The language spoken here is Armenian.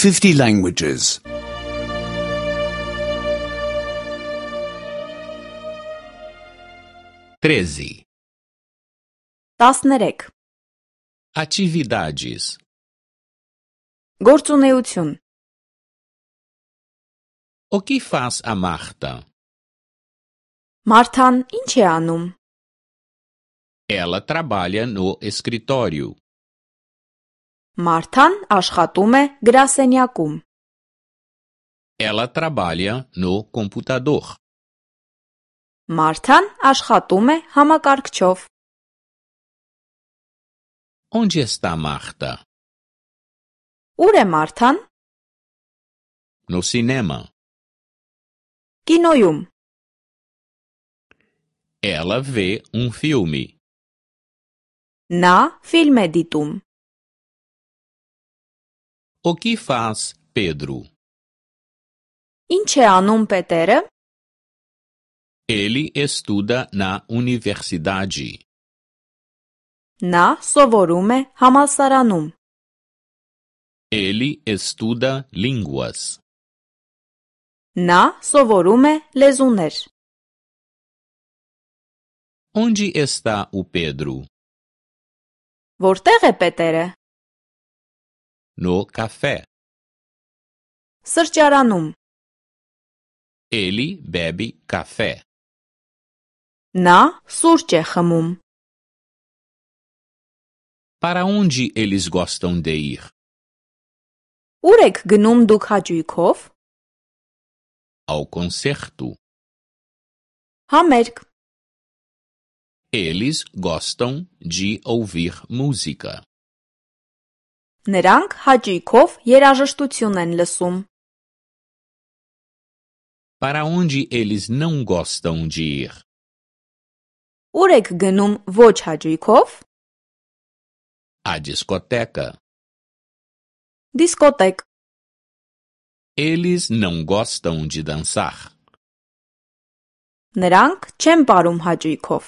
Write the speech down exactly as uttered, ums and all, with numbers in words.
fifty languages. treze. տասներեք. Atividades. Գործունեություն. O que faz a Marta? Մարթան ինչ է անում? Ela trabalha no escritório. Մարթան աշխատում է գրասենյակում. Ela trabalha no computador. Մարթան աշխատում է համակարգչով. Onde está Marta? Ուր է Մարթան? No cinema. Կինոյում. Ela vê um filme. Նա ֆիլմ է դիտում. O que faz Pedro? Ինչ է անում Պետերը? Ele estuda na universidade. Նա սովորում է համալսարանում. Ele estuda línguas. Նա սովորում է լեզուներ. Onde está o Pedro? Որտեղ է Պետերը? No café. Սրճարանում. Ele bebe café. Նա սուրճ է խմում. Para onde eles gostam de ir? Ուր եք գնում դուք հաճույքով? Ao concerto. Համերգ. Eles gostam de ouvir música. Նրանք հաճույքով երաժշտություն են լսում. Para onde eles não gostam de ir? Ուր եք գնում ոչ հաճույքով? A discoteca. Դիսկոտեկ. Eles não gostam de dançar. Նրանք չեն պարում հաճույքով.